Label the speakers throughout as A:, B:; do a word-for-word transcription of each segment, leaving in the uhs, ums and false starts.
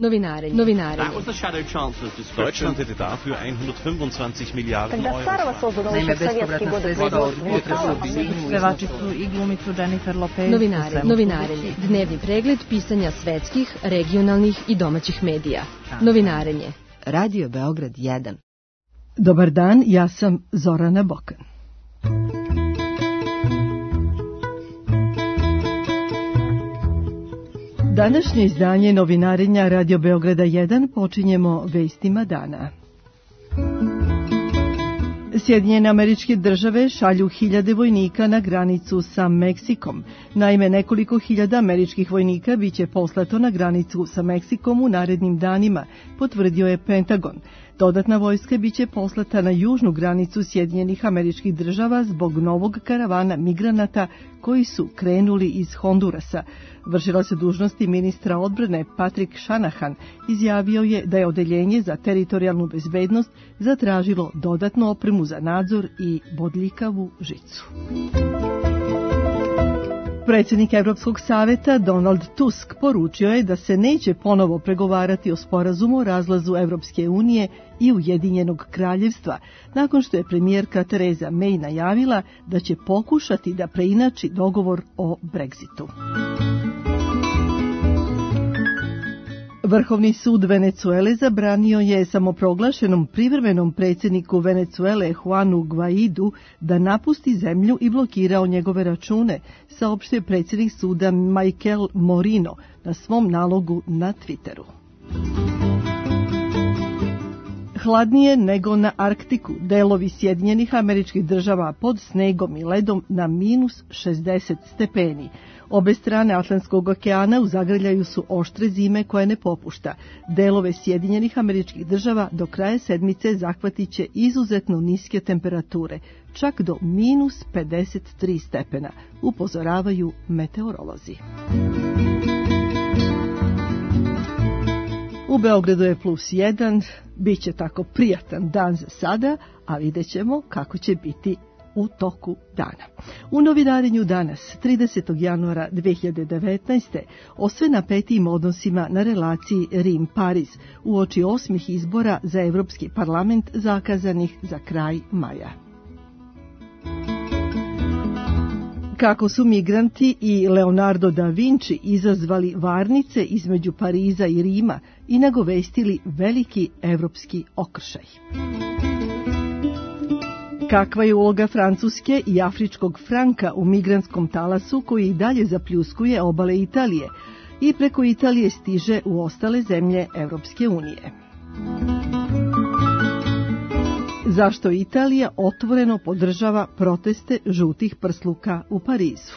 A: Novinarenje. Novinarenje.
B: Deutschland hätte dafür hundertfünfundzwanzig Miliarden Euro.
C: Naime, bespovratna sredstva od budžeta su objedinjuju.
D: Pevačicu i glumicu Jennifer Lopez.
A: Novinarenje. Novinarenje. Dnevni pregled pisanja svetskih, regionalnih i domaćih medija. Novinarenje.
E: Radio Beograd jedan.
F: Dobar dan, ja sam Zorana Bokan. Današnje izdanje novinarenja Radio Beograda jedan počinjemo vestima dana. Sjedinjene Američke Države šalju hiljade vojnika na granicu sa Meksikom. Naime, nekoliko hiljada američkih vojnika biće poslato na granicu sa Meksikom u narednim danima, potvrdio je Pentagon. Dodatna vojska biće poslata na južnu granicu Sjedinjenih Američkih Država zbog novog karavana migranata koji su krenuli iz Hondurasa. Vršila se dužnosti ministra odbrane Patrick Shanahan izjavio je da je odeljenje za teritorijalnu bezbednost zatražilo dodatnu opremu za nadzor i bodljikavu žicu. Predsjednik Evropskog saveta Donald Tusk poručio je da se neće ponovo pregovarati o sporazumu o razlazu Evropske unije i Ujedinjenog kraljevstva, nakon što je premijerka Theresa May najavila da će pokušati da preinači dogovor o Brexitu. Vrhovni sud Venecuele zabranio je samoproglašenom privremenom predsjedniku Venecuele Juanu Guaidu da napusti zemlju i blokirao njegove račune, saopštio predsjednik suda Michael Morino na svom nalogu na Twitteru. Hladnije nego na Arktiku, delovi Sjedinjenih Američkih Država pod snegom i ledom na minus šezdeset stepeni. Obe strane Atlantskog okeana u zagrljaju su oštre zime koje ne popušta. Delove Sjedinjenih Američkih Država do kraja sedmice zahvatit će izuzetno niske temperature, čak do minus pedeset tri stepena, upozoravaju meteorolozi. U Beogradu je plus jedan, bit će tako prijatan dan za sada, a vidjet ćemo kako će biti u toku dana. U novinarenju danas, tridesetog januara dve hiljade devetnaeste. o sve napetijim odnosima na relaciji Rim-Pariz uoči osmih izbora za Evropski parlament zakazanih za kraj maja. Kako su migranti i Leonardo da Vinci izazvali varnice između Pariza i Rima i nagovestili veliki evropski okršaj. Kakva je uloga Francuske i afričkog franka u migrantskom talasu koji i dalje zapljuskuje obale Italije i preko Italije stiže u ostale zemlje Evropske unije? Zašto Italija otvoreno podržava proteste žutih prsluka u Parizu?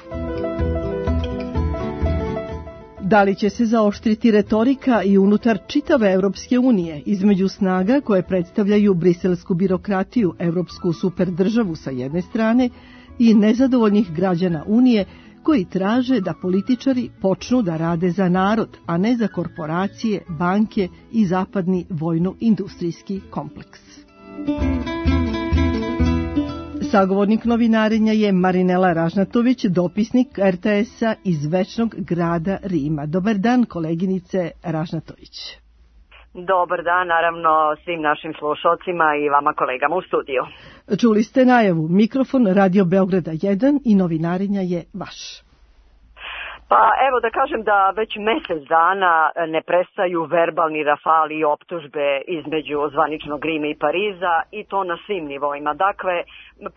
F: Da li će se zaoštriti retorika i unutar čitave Evropske unije između snaga koje predstavljaju briselsku birokratiju, evropsku superdržavu sa jedne strane i nezadovoljnih građana Unije koji traže da političari počnu da rade za narod, a ne za korporacije, banke i zapadni vojno-industrijski kompleks? Sagovornik novinarenja je Marinela Ražnatović, dopisnik er te esa iz večnog grada Rima. Dobar dan, koleginice Ražnatović.
G: Dobar dan, naravno, svim našim slušalcima i vama kolegama u studiju.
F: Čuli ste najavu, mikrofon Radio Beograda jedan i novinarenja je vaš.
G: Pa evo da kažem da već mjesec dana ne prestaju verbalni rafali i optužbe između zvaničnog Rima i Pariza i to na svim nivoima. Dakle,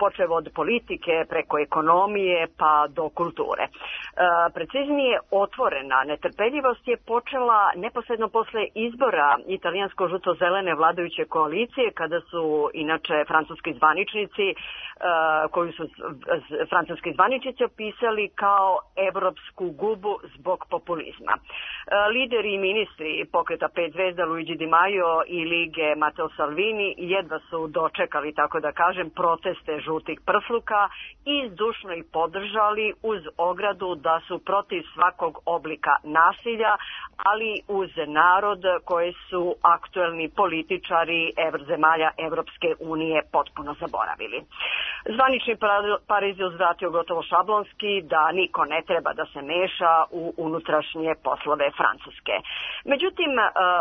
G: počev od politike, preko ekonomije pa do kulture. E, preciznije, otvorena netrpeljivost je počela neposredno posle izbora italijansko-žuto-zelene vladajuće koalicije, kada su inače francuski zvaničnici, e, koju su francuski zvaničnici opisali kao evropsku gubu zbog populizma. E, lideri i ministri pokreta pet zvezda Luigi Di Maio i lige Matteo Salvini jedva su dočekali, tako da kažem, protest žutih prsluka i zdušno ih podržali uz ogradu da su protiv svakog oblika nasilja, ali uz narod koji su aktuelni političari zemalja Evropske unije potpuno zaboravili. Zvanični Pariz je uzvratio gotovo šablonski da niko ne treba da se meša meša u unutrašnje poslove Francuske. Međutim,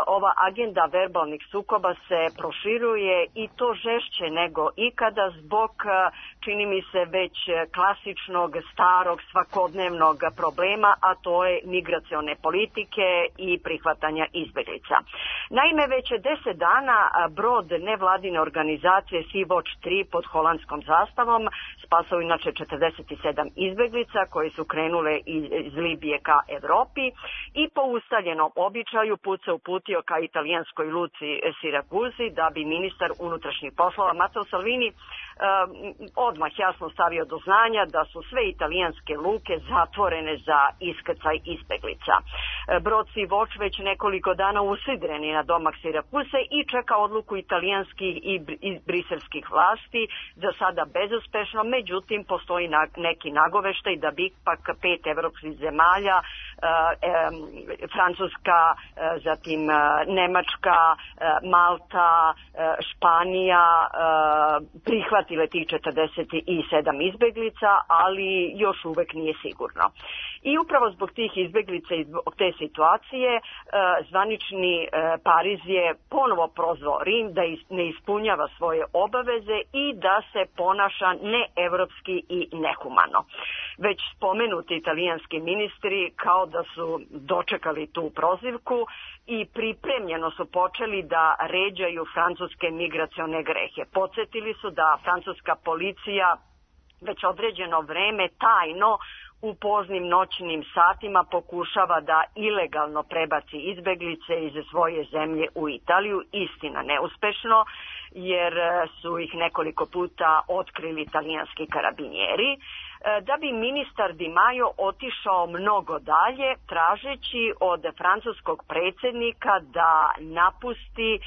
G: ova agenda verbalnih sukoba se proširuje i to žešće nego ikada zbog, čini mi se, već klasičnog, starog, svakodnevnog problema, a to je migracione politike i prihvatanja izbeglica. Naime, već deset dana brod nevladine organizacije Sea-Watch tri pod holandskom zastavom spasao inače četrdeset sedam izbeglica koji su krenule iz Libije ka Evropi i po ustaljenom običaju put se uputio ka italijanskoj luci Sirakuzi da bi ministar unutrašnjih poslova Matteo Salvini odmah jasno stavio do znanja da su sve italijanske luke zatvorene za iskrcaj izbeglica. Brod Sea-Watch već nekoliko dana usidreni na domak Sirakuse i čeka odluku italijanskih i briselskih vlasti, za sada bezuspešno, međutim postoji neki nagoveštaj da bi ipak pet evropskih zemalja, Francuska, zatim Nemačka, Malta, Španija prihvatile tih četrdeset sedam izbeglica, ali još uvek nije sigurno. I upravo zbog tih izbeglica i zbog te situacije zvanični Pariz je ponovo prozvao Rim da ne ispunjava svoje obaveze i da se ponaša neevropski i nehumano. Već spomenuti italijanski ministri kao da su dočekali tu prozivku i pripremljeno su počeli da ređaju francuske migracione grehe. Podsjetili su da francuska policija već određeno vreme tajno u poznim noćnim satima pokušava da ilegalno prebaci izbeglice iz svoje zemlje u Italiju, istina neuspešno, jer su ih nekoliko puta otkrili italijanski karabinjeri, da bi ministar Di Maio otišao mnogo dalje, tražeći od francuskog predsjednika da napusti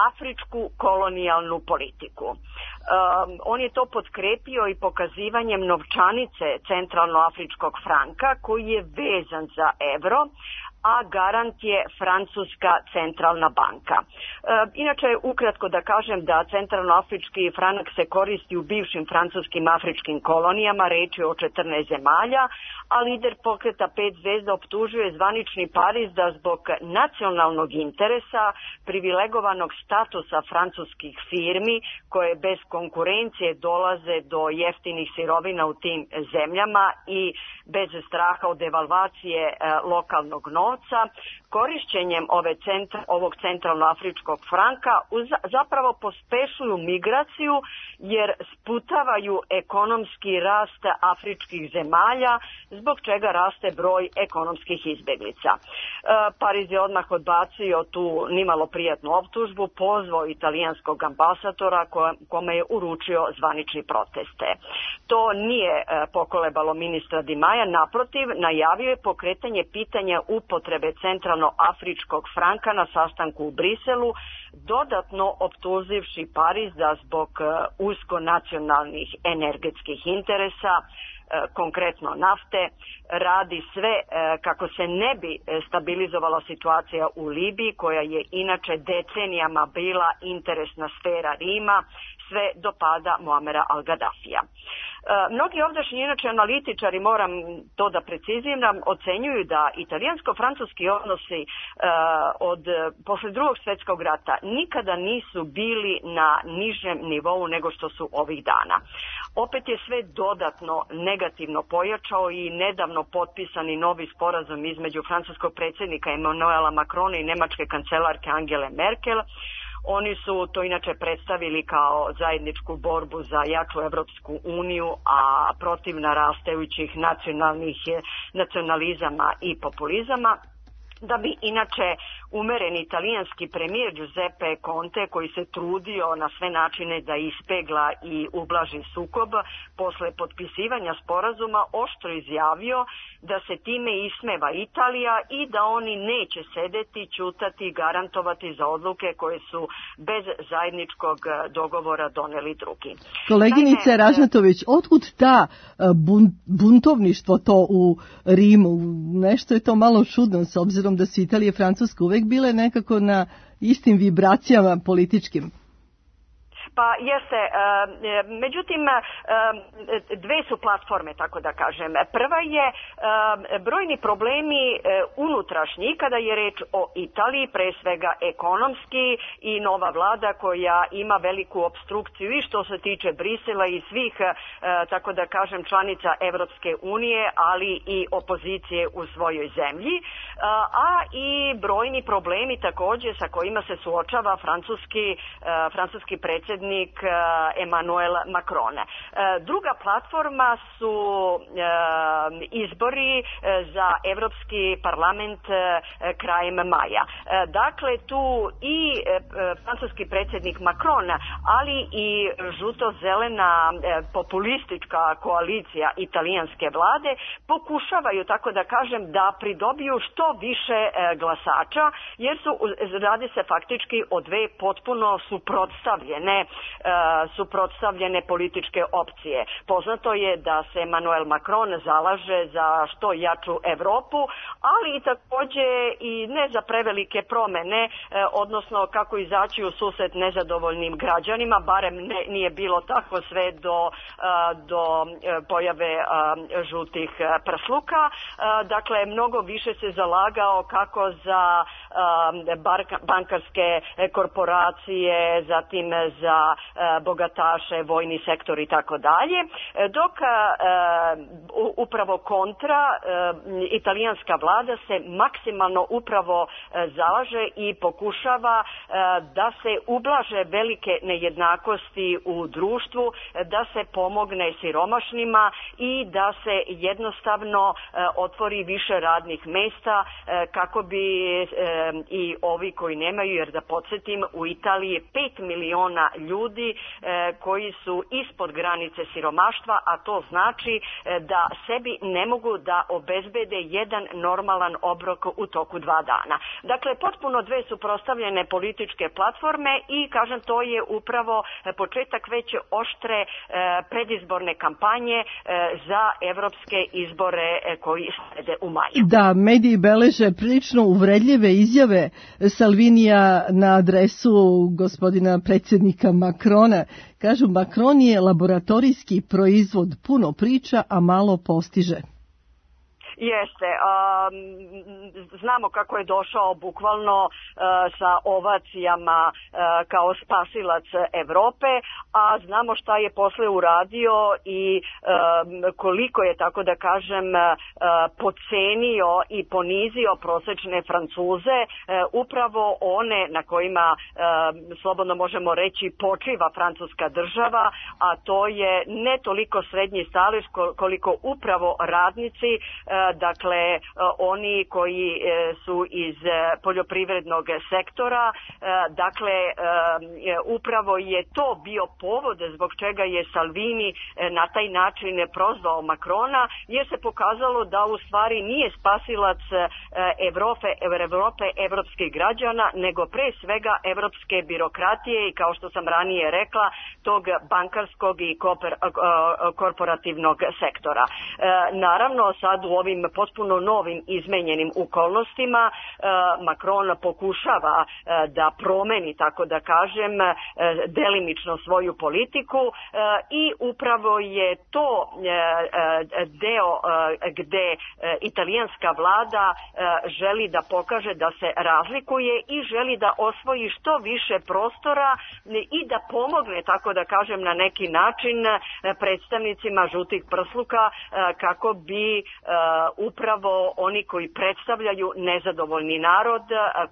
G: afričku kolonijalnu politiku. Um, on je to potkrepio i pokazivanjem novčanice centralnoafričkog franka koji je vezan za evro, a garant je Francuska centralna banka. E, inače, ukratko da kažem da centralnoafrički franak se koristi u bivšim francuskim afričkim kolonijama, reč je o četrnaest zemalja, a lider pokreta pet zvezda optužuje zvanični Pariz da zbog nacionalnog interesa, privilegovanog statusa francuskih firmi koje bez konkurencije dolaze do jeftinih sirovina u tim zemljama i bez straha od devalvacije e, lokalnog novca, korišćenjem ove centra, ovog centralnoafričkog franka uz, zapravo pospešuju migraciju jer sputavaju ekonomski rast afričkih zemalja, zbog čega raste broj ekonomskih izbeglica. E, Pariz je odmah odbacio tu nimalo prijatnu optužbu, pozvao italijanskog ambasadora kome je uručio zvanični proteste. To nije e, pokolebalo ministra Di Maia, naprotiv, najavio je pokretanje pitanja upotrebe centralnoafričkog franka na sastanku u Briselu, dodatno optuživši Pariz da zbog usko nacionalnih energetskih interesa, konkretno nafte, radi sve kako se ne bi stabilizovala situacija u Libiji, koja je inače decenijama bila interesna sfera Rima, sve do pada Muamera al-Gaddafija. Mnogi ovdašnji inače analitičari, moram to da preciziram, ocenjuju da italijansko-francuski odnosi uh, od posle drugog svjetskog rata nikada nisu bili na nižem nivou nego što su ovih dana. Opet je sve dodatno negativno pojačao i nedavno potpisani novi sporazum između francuskog predsjednika Emmanuela Macrona i nemačke kancelarke Angele Merkel. Oni su to inače predstavili kao zajedničku borbu za jaču Evropsku uniju, a protiv narastajućih nacionalnih nacionalizama i populizama. Da bi inače umereni italijanski premijer Giuseppe Conte, koji se trudio na sve načine da ispegla i ublaži sukob, posle potpisivanja sporazuma oštro izjavio da se time ismeva Italija i da oni neće sedeti, ćutati i garantovati za odluke koje su bez zajedničkog dogovora doneli drugi.
F: Koleginice Naime, Ražnatović, otkud ta buntovništvo to u Rimu? Nešto je to malo čudno s obzirom da su Italija i Francuska uvek bile nekako na istim vibracijama političkim.
G: Pa jeste, međutim, dve su platforme, tako da kažem. Prva je brojni problemi unutrašnji, kada je reč o Italiji, pre svega ekonomski, i nova vlada koja ima veliku opstrukciju i što se tiče Brisela i svih, tako da kažem, članica Evropske unije, ali i opozicije u svojoj zemlji, a i brojni problemi takođe sa kojima se suočava francuski, francuski predsjednik Emmanuel Macron. Druga platforma su izbori za Evropski parlament krajem maja. Dakle, tu i francuski predsjednik Macron, ali i žuto-zelena populistička koalicija italijanske vlade pokušavaju, tako da kažem, da pridobiju što više glasača, jer su, radi se faktički o dve potpuno suprotstavljene, suprotstavljene političke opcije. Poznato je da se Emmanuel Macron zalaže za što jaču Evropu, ali i takođe i ne za prevelike promene, odnosno kako izaći u susret nezadovoljnim građanima, barem ne, nije bilo tako sve do, do pojave žutih prsluka. Dakle, mnogo više se zalagao kako za bankarske korporacije, zatim za bogataše, vojni sektor i tako dalje, dok upravo kontra italijanska vlada se maksimalno upravo zalaže i pokušava da se ublaže velike nejednakosti u društvu, da se pomogne siromašnima i da se jednostavno otvori više radnih mesta kako bi i ovi koji nemaju, jer da podsjetim, u Italiji je pet miliona ljudi koji su ispod granice siromaštva, a to znači da sebi ne mogu da obezbede jedan normalan obrok u toku dva dana. Dakle, potpuno dve suprotstavljene političke platforme i, kažem, to je upravo početak veće oštre predizborne kampanje za evropske izbore koji slede u maju.
F: Da, mediji beleže prilično uvredljive izjave Salvinija na adresu gospodina predsjednika Macrona. Kažu, Macron je laboratorijski proizvod, puno priča, a malo postiže.
G: Jeste, um, znamo kako je došao bukvalno uh, sa ovacijama uh, kao spasilac Evrope, a znamo šta je posle uradio i um, koliko je, tako da kažem, uh, podcenio i ponizio prosečne Francuze, uh, upravo one na kojima uh, slobodno možemo reći počiva francuska država, a to je ne toliko srednji stalež koliko upravo radnici, uh, dakle oni koji su iz poljoprivrednog sektora. Dakle, upravo je to bio povod zbog čega je Salvini na taj način prozvao Macrona, jer se pokazalo da u stvari nije spasilac Evrope, Evrope evropskih građana, nego pre svega evropske birokratije i, kao što sam ranije rekla, tog bankarskog i korporativnog sektora. Naravno, sad u ovim potpuno novim izmenjenim okolnostima Macron pokušava da promeni, tako da kažem, delimično svoju politiku i upravo je to deo gde italijanska vlada želi da pokaže da se razlikuje i želi da osvoji što više prostora i da pomogne, tako da kažem, na neki način predstavnicima žutih prsluka kako bi upravo oni koji predstavljaju nezadovoljni narod,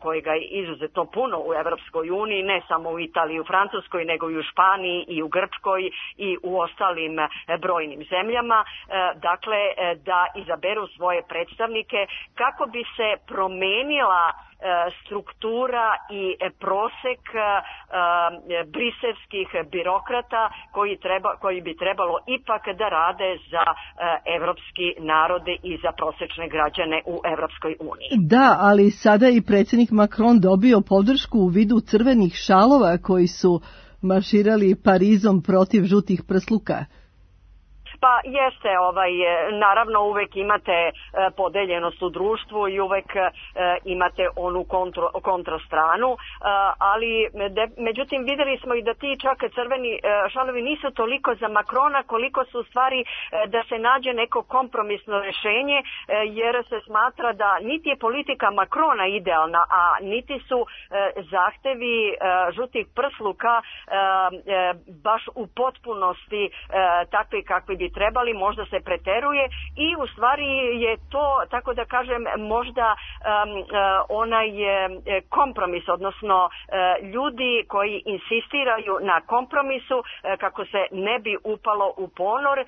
G: kojega je izuzetno puno u Evropskoj uniji, ne samo u Italiji i u Francuskoj, nego i u Španiji i u Grčkoj i u ostalim brojnim zemljama, dakle da izaberu svoje predstavnike kako bi se promenila struktura i prosek briselskih birokrata koji, treba, koji bi trebalo ipak da rade za evropski narode i za prosečne građane u Evropskoj uniji.
F: Da, ali sada i predsjednik Macron dobio podršku u vidu crvenih šalova koji su marširali Parizom protiv žutih prsluka.
G: Pa jeste, ovaj, naravno uvek imate podeljenost u društvu i uvek imate onu kontro, kontrastranu, ali de, međutim videli smo i da ti čak crveni šalovi nisu toliko za Makrona koliko su u stvari da se nađe neko kompromisno rešenje, jer se smatra da niti je politika Makrona idealna, a niti su zahtevi žutih prsluka baš u potpunosti takvi kakvi bi trebali, možda se preteruje i u stvari je to, tako da kažem, možda onaj kompromis, odnosno ljudi koji insistiraju na kompromisu kako se ne bi upalo u ponor,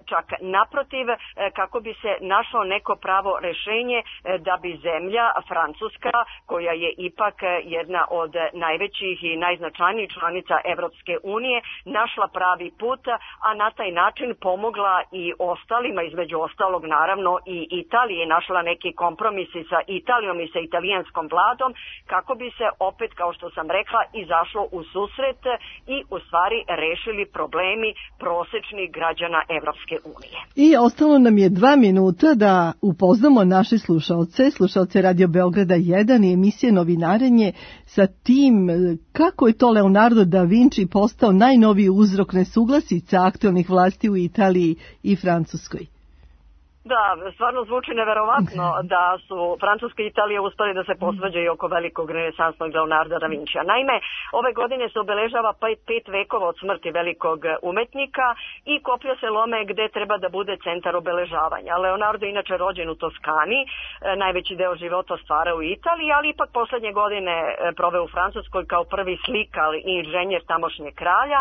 G: čak naprotiv, kako bi se našlo neko pravo rešenje da bi zemlja Francuska, koja je ipak jedna od najvećih i najznačajnijih članica Evropske unije, našla pravi put, a na taj način pomogla i ostalima, između ostalog naravno i Italije, našla neki kompromisi sa Italijom i sa italijanskom vladom, kako bi se opet, kao što sam rekla, izašlo u susret i u stvari rešili problemi prosečnih građana Evropske unije.
F: I ostalo nam je dva minuta da upoznamo naše slušaoce, slušaoce Radio Beograda jedan i emisije Novinarenje sa tim kako je to Leonardo da Vinci postao najnoviji uzrok nesuglasica aktualnih vlasti u Italiji i Francuskoj.
G: Da, stvarno zvuči neverovatno da su Francuska i Italija uspeli da se posvađaju oko velikog renesansnog Leonarda da Vincija. Naime, ove godine se obeležava pet vekova od smrti velikog umetnika i koplja se lome gde treba da bude centar obeležavanja. Leonardo je inače rođen u Toskani, najveći deo života stvara u Italiji, ali ipak poslednje godine proveo u Francuskoj kao prvi slikar i inženjer tamošnjeg kralja,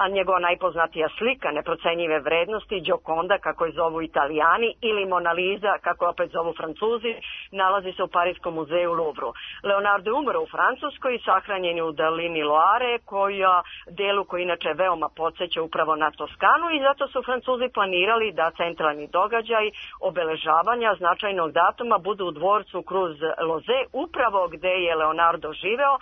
G: a njegova najpoznatija slika neprocenjive vrednosti, Gioconda, kako je zovu Italijani, ili Mona Lisa, kako opet zovu Francuzi, nalazi se u Parijskom muzeju Louvru. Leonardo je umro u Francuskoj i sahranjen je u dolini Loare, koja delu koji inače veoma podsjeća upravo na Toskanu, i zato su Francuzi planirali da centralni događaj obeležavanja značajnog datuma budu u dvorcu Cruz Loze, upravo gde je Leonardo živeo,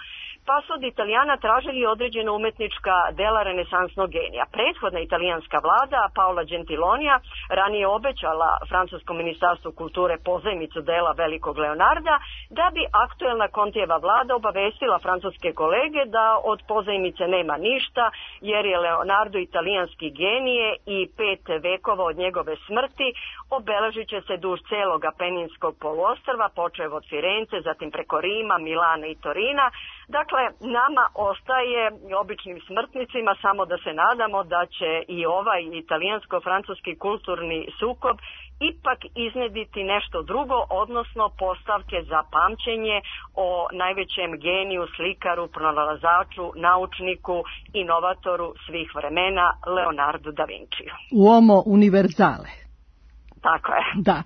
G: pa su od Italijana tražili određena umetnička dela renesansnog genija. Prethodna italijanska vlada, Paola Gentilonija, ranije obećala francuskom ministarstvu kulture pozajmicu dela velikog Leonarda, da bi aktuelna Kontijeva vlada obavestila francuske kolege da od pozajmice nema ništa, jer je Leonardo italijanski genije i pet vekova od njegove smrti obeležit će se duž celog Apeninskog poluostrva, počev od Firence, zatim preko Rima, Milana i Torina. Dakle, nama ostaje, običnim smrtnicima, samo da se nadamo da će i ovaj italijansko-francuski kulturni sukob ipak iznediti nešto drugo, odnosno postavke za pamćenje o najvećem geniju, slikaru, pronalazaču, naučniku, inovatoru svih vremena, Leonardo da Vinciju.
F: Uomo univerzale.
G: Tako je.
F: Da.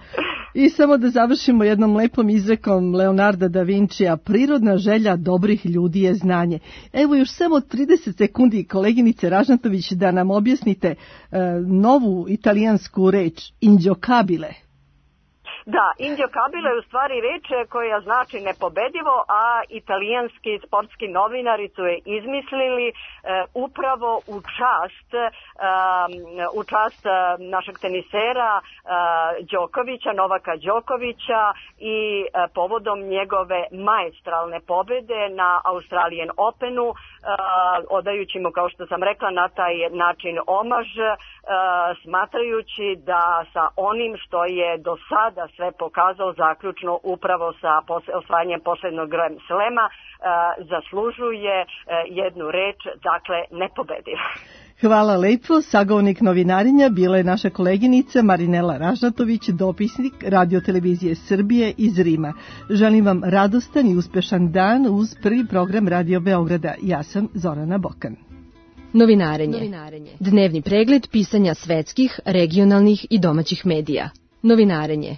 F: I samo da završimo jednom lepom izrekom Leonarda da Vincija, prirodna želja dobrih ljudi je znanje. Evo još samo trideset sekundi, koleginice Ražnatović, da nam objasnite e, novu italijansku reč, inđokabile.
G: Da, inđokabile je u stvari reč koja znači nepobedivo, a italijanski sportski novinari su je izmislili e, upravo u čast e, u čast našeg tenisera e, Đokovića, Novaka Đokovića i e, povodom njegove maestralne pobede na Australian Openu, e, odajući mu, kao što sam rekla, na taj način omaž, e, smatrajući da sa onim što je do sada sve pokazao zaključno upravo sa osvajanjem posljednog Grand Slema, zaslužuje jednu reč, dakle nepobediv.
F: Hvala lepo. Sagovornik novinarenja bila je naša koleginica Marinela Ražnatović, dopisnik Radio-televizije Srbije iz Rima. Želim vam radostan i uspešan dan uz prvi program Radio Beograda. Ja sam Zorana Bokan.
A: Novinarenje. Dnevni pregled pisanja svetskih, regionalnih i domaćih medija. Novinarenje.